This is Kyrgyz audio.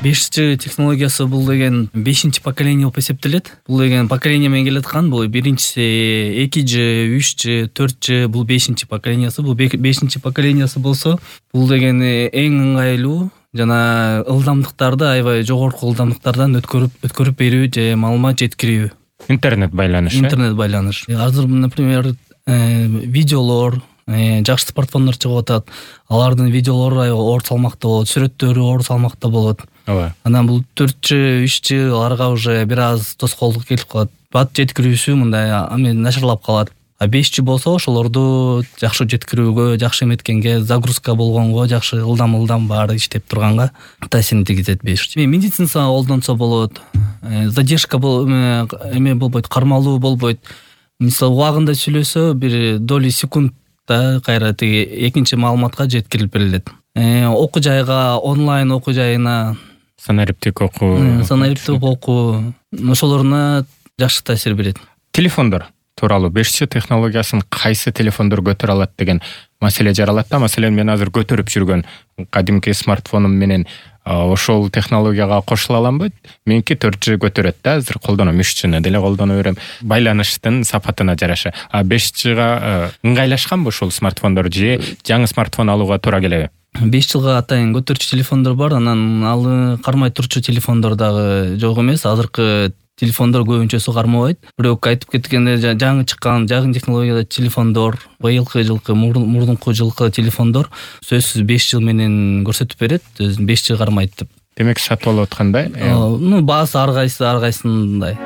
5G технологиясы бул деген 5-чи поколение болуп эсептелет. Бул деген поколение менен келаткан. Бул биринчиси 2G, 3G, 4G, бул 5-чи поколениясы. Бул 5-чи поколениясы болсо, бул деген эң ыңгайлуу жана ылдамдыктарды аябай жогорку ылдамдыктардан өткөрүп берүү же маалымат жеткирүү. Интернет байланыш. Азыр, например, видеолор, жакшы смартфондор чыгып атат. Алардын видеолору оор салмакта болот, сүрөттөрү оор салмакта болот. Ооба. Анан бул 4G, 3G аларга уже бир аз тоскоолдук келип калат. Бат жеткирүүсү мындай начарлап калат. А 5G болсо ошолорду жакшы жеткирүүгө, жакшы эметкенге, загрузка болгонго, жакшы ылдам баары иштеп турганга таасирин тийгизет 5G. Медицинага колдонсо болот. Задержка болбойт, кармалуу болбойт. Мисалы убагында сүйлөсө, бир доли секундда кайра тиги экинчи маалыматка жеткирилип берилет. Окуу жайга, онлайн окуу жайына, санариптик окуу, ошолоруна жакшы таасир берет. Телефондор тууралуу 5G технологиясын кайсы телефондор көтөрө алат деген маселе жаралат да. Маселен, мен азыр көтөрүп жүргөн кадимки смартфонум менен ошол технологияга кошула аламбы? Меники 4G көтөрөт да, азыр колдоном, 3G'ни деле колдоно берем. Байланыштын сапатына жараша. 5G'га ыңгайлашканбы ушул смартфондор же жаңы смартфон алууга туура келеби? 5 жылга атайын көтөрчү телефондор бар, анан ал кармай турчу телефондор дагы жок эмес. Азыркы телефондор көбүнчөсү кармабайт. Бирок айтып кеткенде, жаңы чыккан, жаңы технологияда телефондор, жылкы, мурдунку жылкы телефондор сөзсүз 5 жыл менен көрсөтүп берет, 5 жыл кармайт деп. Демек сатып алып аткандай? Баасы ар кайсысындай.